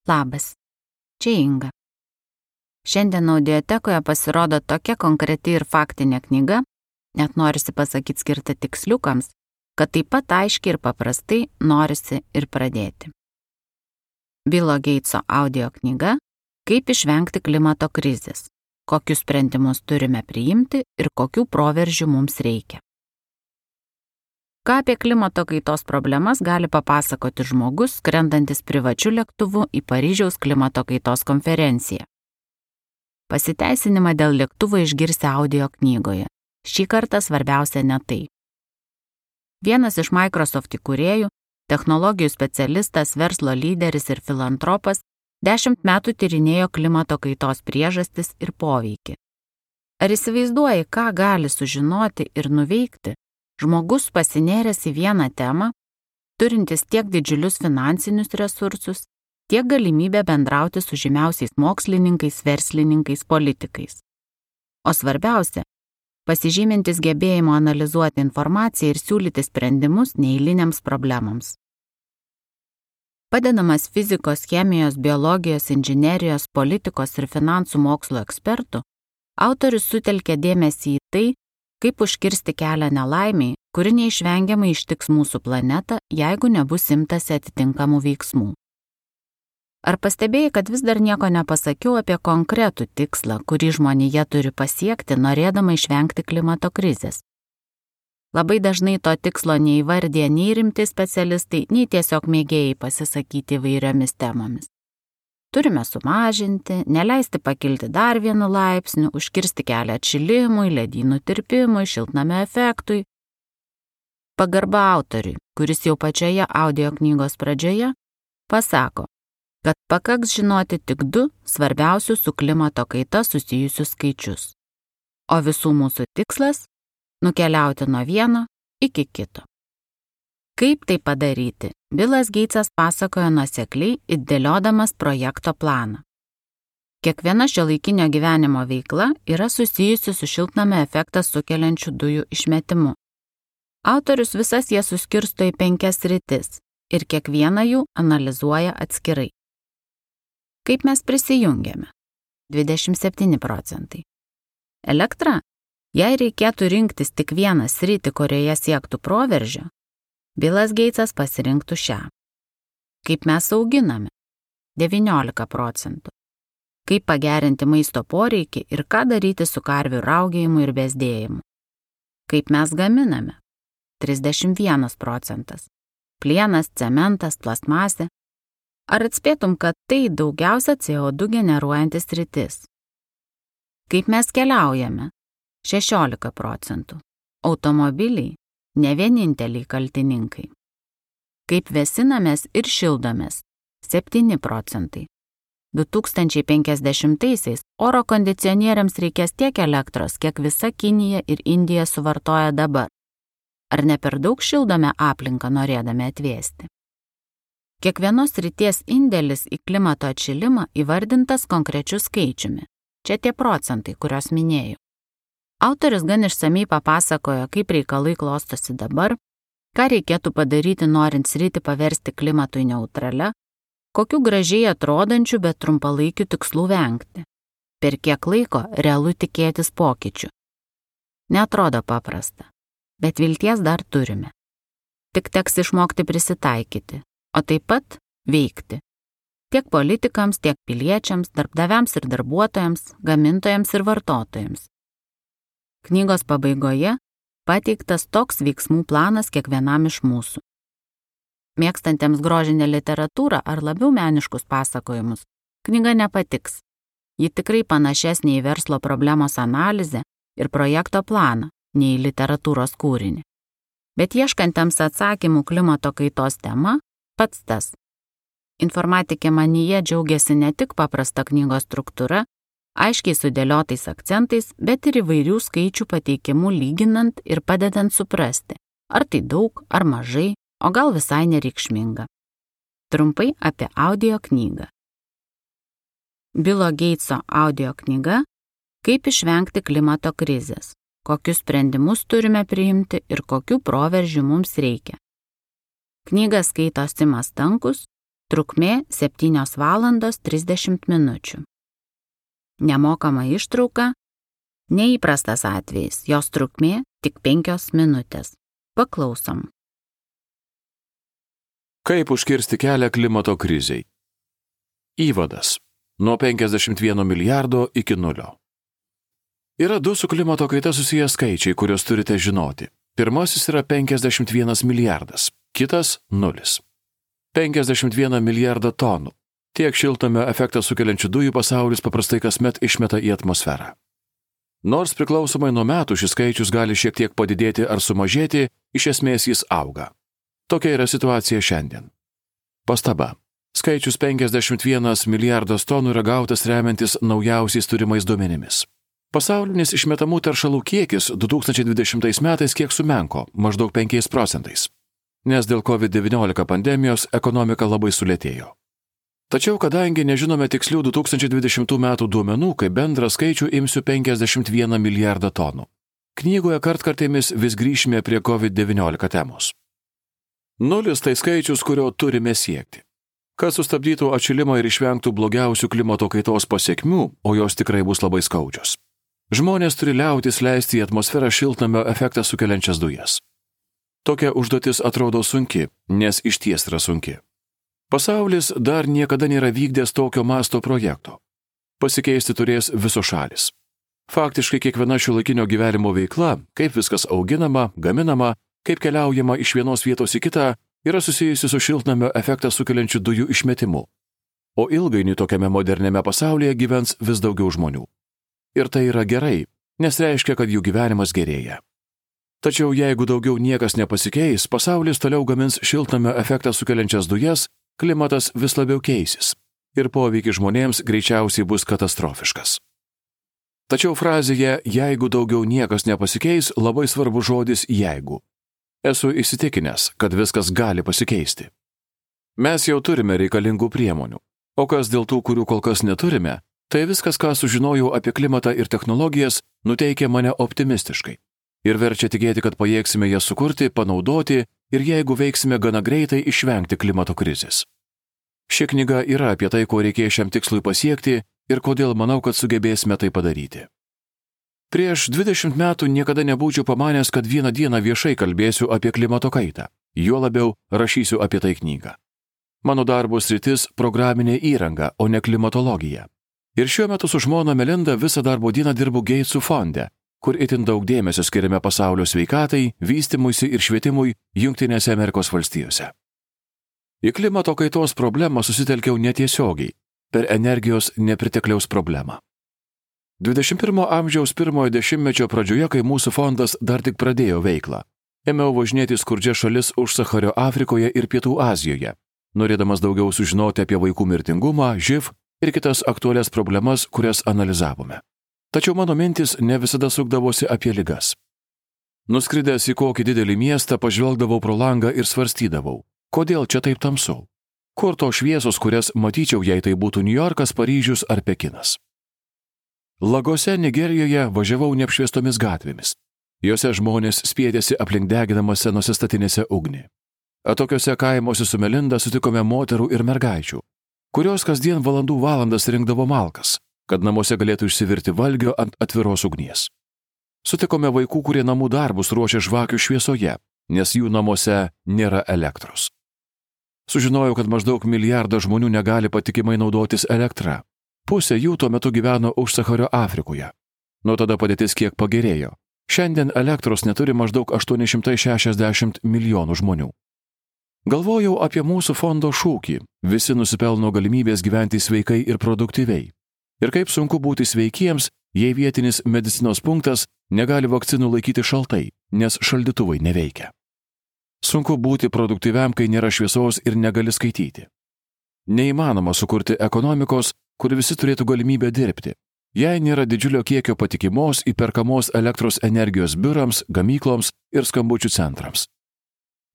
Labas, čia Inga. Šiandien audiotekoje pasirodo tokia konkreti ir faktinė knyga, net norisi pasakyti skirta tiksliukams, kad taip pat aiškiai ir paprastai norisi ir pradėti. Billo Geitso audio knyga Kaip išvengti klimato krizės, kokius sprendimus turime priimti ir kokių proveržių mums reikia. Ką apie klimato kaitos problemas gali papasakoti žmogus, skrendantis privačiu lėktuvu į Paryžiaus klimato kaitos konferenciją? Pasiteisinimą dėl lėktuvo išgirsi audio knygoje. Šį kartą svarbiausia ne tai. Vienas iš Microsoft įkūrėjų, technologijų specialistas, verslo lyderis ir filantropas 10 metų tyrinėjo klimato kaitos priežastis ir poveikį. Ar įsivaizduoji, ką gali sužinoti ir nuveikti žmogus pasinėręs į vieną temą, turintis tiek didžiulius finansinius resursus, tiek galimybę bendrauti su žymiausiais mokslininkais, verslininkais, politikais. O svarbiausia, pasižymintis gebėjimo analizuoti informaciją ir siūlyti sprendimus neeiliniams problemams. Padedamas fizikos, chemijos, biologijos, inžinerijos, politikos ir finansų mokslo ekspertų, autorius sutelkė dėmesį į tai, kaip užkirsti kelią nelaimiai, kuri neišvengiamai ištiks mūsų planetą, jeigu nebus imtasi atitinkamų veiksmų. Ar pastebėjai, kad vis dar nieko nepasakiau apie konkretų tikslą, kurį žmonija turi pasiekti, norėdama išvengti klimato krizės? Labai dažnai to tikslo neįvardė nei rimti specialistai, nei tiesiog mėgėjai pasisakyti įvairiomis temomis. Turime sumažinti, neleisti pakilti dar 1 laipsniu, užkirsti kelią atšilimui, ledynų tirpimui, šiltnamio efektui. Pagarba autoriui, kuris jau pačioje audio knygos pradžioje pasako, kad pakaks žinoti tik 2 svarbiausius su klimato kaita susijusius skaičius. O visų mūsų tikslas – nukeliauti nuo vieno iki kito. Kaip tai padaryti? Billas Geitsas pasakojo nuosekliai, įdėliodamas projekto planą. Kiekviena šiuolaikinio gyvenimo veikla yra susijusi su šiltnamio efektą sukeliančių dujų išmetimu. Autorius visas jas suskirsto į 5 sritis ir kiekvieną jų analizuoja atskirai. Kaip mes prisijungiame? 27%. Elektra? Jei reikėtų rinktis tik vieną sritį, kurioje siektų proveržio, Billas Geitsas pasirinktų šią. Kaip mes auginame? 19%. Kaip pagerinti maisto poreikį ir ką daryti su karvių raugėjimu ir bezdėjimu? Kaip mes gaminame? 31%. Plienas, cementas, plastmasė. Ar atspėtum, kad tai daugiausia CO2 generuojantis sritis? Kaip mes keliaujame? 16%. Automobiliai? Ne vieninteliai kaltininkai. Kaip vėsinamės ir šildomės? 7%. 2050-aisiais oro kondicionieriams reikės tiek elektros, kiek visa Kinija ir Indija suvartoja dabar. Ar ne per daug šildome aplinką norėdami atvėsti? Kiekvienos srities indėlis į klimato atšilimą įvardintas konkrečiu skaičiumi. Čia tie procentai, kuriuos minėjau. Autorius gan išsamiai papasakojo, kaip reikalai klostosi dabar, ką reikėtų padaryti norint sritį paversti klimatui neutralia, kokių gražiai atrodančių, bet trumpalaikių tikslų vengti, per kiek laiko realu tikėtis pokyčių. Neatrodo paprasta, bet vilties dar turime. Tik teks išmokti prisitaikyti, o taip pat veikti. Tiek politikams, tiek piliečiams, darbdaviams ir darbuotojams, gamintojams ir vartotojams. Knygos pabaigoje pateiktas toks veiksmų planas kiekvienam iš mūsų. Mėgstantiems grožinę literatūrą ar labiau meniškus pasakojimus, knyga nepatiks. Ji tikrai panašesnė į verslo problemos analizę ir projekto planą, nei į literatūros kūrinį. Bet ieškantiems atsakymų klimato kaitos tema pats tas. Informatikė manyje džiaugiasi ne tik paprasta knygos struktūra, aiškiai sudėliotais akcentais, bet ir įvairių skaičių pateikimų lyginant ir padedant suprasti, ar tai daug, ar mažai, o gal visai nereikšminga. Trumpai apie audio knygą. Billo Geitso audio knyga Kaip išvengti klimato krizės, kokius sprendimus turime priimti ir kokių proveržių mums reikia. Knygą skaito Simas Stankus, Trukmė 7 valandos 30 minučių. Nemokama ištrauka – neįprastas atvejis, jos trukmė tik 5 minutės. Paklausom. Kaip užkirsti kelią klimato krizei? Įvadas. Nuo 51 milijardo iki 0. Yra 2 su klimato kaita susiję skaičiai, kuriuos turite žinoti. Pirmasis yra 51 milijardas, kitas 0. 51 milijardą tonų. Tiek šiltnamio efektą sukeliančių dujų pasaulis paprastai kasmet išmeta į atmosferą. Nors priklausomai nuo metų šis skaičius gali šiek tiek padidėti ar sumažėti, iš esmės jis auga. Tokia yra situacija šiandien. Pastaba. Skaičius 51 milijardas tonų yra gautas remiantis naujausiais turimais duomenimis. Pasaulinis išmetamų teršalų kiekis 2020 metais kiek sumenko, maždaug 5%, nes dėl COVID-19 pandemijos ekonomika labai sulėtėjo. Tačiau, kadangi nežinome tikslių 2020 metų duomenų, kaip bendrą skaičių imsiu 51 milijardą tonų. Knygoje kartkartėmis vis grįžime prie COVID-19 temos. 0 tai skaičius, kurio turime siekti. Kad sustabdytų atšilimą ir išvengtų blogiausių klimato kaitos pasekmių, o jos tikrai bus labai skaudžios. Žmonės turi liautis leisti į atmosferą šiltnamio efektą sukeliančias dujas. Tokia užduotis atrodo sunki, nes išties yra sunki. Pasaulis dar niekada nėra vykdęs tokio masto projekto. Pasikeisti turės visos šalis. Faktiškai kiekviena šiuolaikinio gyvenimo veikla, kaip viskas auginama, gaminama, kaip keliaujama iš vienos vietos į kitą, yra susijusi su šiltnamio efektą sukeliančių dujų išmetimu. O ilgainiui tokiame moderniame pasaulyje gyvens vis daugiau žmonių. Ir tai yra gerai, nes reiškia, kad jų gyvenimas gerėja. Tačiau jeigu daugiau niekas nepasikeis, pasaulis toliau gamins šiltnamio efektą sukeliančias dujas, klimatas vis labiau keisis ir poveikis žmonėms greičiausiai bus katastrofiškas. Tačiau frazėje "jeigu daugiau niekas nepasikeis" labai svarbu žodis "jeigu". Esu įsitikinęs, kad viskas gali pasikeisti. Mes jau turime reikalingų priemonių, o kas dėl tų, kurių kol kas neturime, tai viskas, ką sužinojau apie klimatą ir technologijas, nuteikia mane optimistiškai ir verčia tikėti, kad pajėgsime jas sukurti, panaudoti ir jeigu veiksime gana greitai išvengti klimato krizės. Ši knyga yra apie tai, ko reikės šiam tikslui pasiekti ir kodėl manau, kad sugebėsime tai padaryti. Prieš 20 metų niekada nebūčiau pamanęs, kad vieną dieną viešai kalbėsiu apie klimato kaitą, juo labiau rašysiu apie tai knygą. Mano darbo sritis – programinė įranga, o ne klimatologija. Ir šiuo metu su žmona Melinda visą darbo dieną dirbu Gatesų fonde, kur itin daug dėmesio skiriame pasaulio sveikatai, vystymuisi ir švietimui Jungtinėse Amerikos valstijose. Į klimato kaitos problemą susitelkiau netiesiogiai, per energijos nepritekliaus problemą. 21 amžiaus pirmojo dešimtmečio pradžioje, kai mūsų fondas dar tik pradėjo veiklą, ėmiau važinėti skurdžias šalis už Sachario Afrikoje ir Pietų Azijoje, norėdamas daugiau sužinoti apie vaikų mirtingumą, živ ir kitas aktualias problemas, kurias analizavome. Tačiau mano mintis ne visada sukdavosi apie ligas. Nuskridęs į kokį didelį miestą, pažvelgdavau pro langą ir svarstydavau, kodėl čia taip tamsu? Kur tos šviesos, kurias matyčiau, jei tai būtų Niujorkas, Paryžius ar Pekinas? Lagose, Nigerijoje važiavau neapšviestomis gatvėmis. Jose žmonės spiedėsi aplink deginamose nusistatinėse ugnį. Atokiuose kaimuose su Melinda sutikome moterų ir mergaičių, kurios kasdien valandų valandas rinkdavo malkas, kad namuose galėtų išsivirti valgio ant atviros ugnies. Sutikome vaikų, kurie namų darbus ruošia žvakių šviesoje, nes jų namuose nėra elektros. Sužinojau, kad maždaug 1 milijardą žmonių negali patikimai naudotis elektra. Pusė jų tuo metu gyveno už Sachario Afrikoje. Nuo tada padėtis kiek pagerėjo. Šiandien elektros neturi maždaug 860 milijonų žmonių. Galvojau apie mūsų fondo šūkį – visi nusipelno galimybės gyventi sveikai ir produktyviai. Ir kaip sunku būti sveikiems, jei vietinis medicinos punktas negali vakcinų laikyti šaltai, nes šaldytuvai neveikia. Sunku būti produktyviam, kai nėra šviesos ir negali skaityti. Neįmanoma sukurti ekonomikos, kur visi turėtų galimybę dirbti, jei nėra didžiulio kiekio patikimos įperkamos elektros energijos biurams, gamykloms ir skambučių centrams.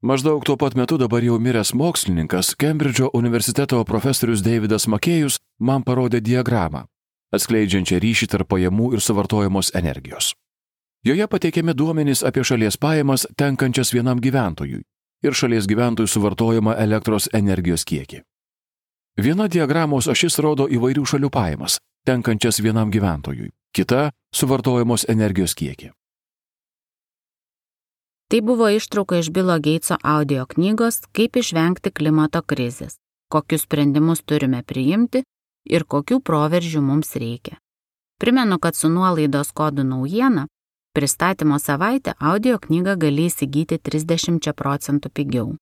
Maždaug tuo pat metu dabar jau miręs mokslininkas, Kembridžo universiteto profesorius Davidas Makėjus man parodė diagramą, atskleidžiančią ryšį tarp pajamų ir suvartojamos energijos. Joje pateikiami duomenys apie šalies pajamas tenkančias vienam gyventojui ir šalies gyventojų suvartojamą elektros energijos kiekį. Viena diagramos ašis rodo įvairių šalių pajamas, tenkančias vienam gyventojui, kita suvartojamos energijos kiekį. Tai buvo ištrauka iš Bilo Geitso audio knygos Kaip išvengti klimato krizės, kokius sprendimus turime priimti ir kokių proveržių mums reikia. Primenu, kad su nuolaidos kodu naujiena pristatymo savaitę audio knygą gali įsigyti 30% pigiau.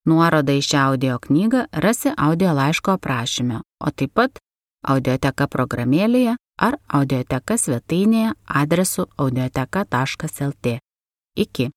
Nuorodą į šią audio knygą rasi audio laiško aprašyme, o taip pat audioteka programėlėje ar audioteka svetainėje adresu audioteka.lt. Iki.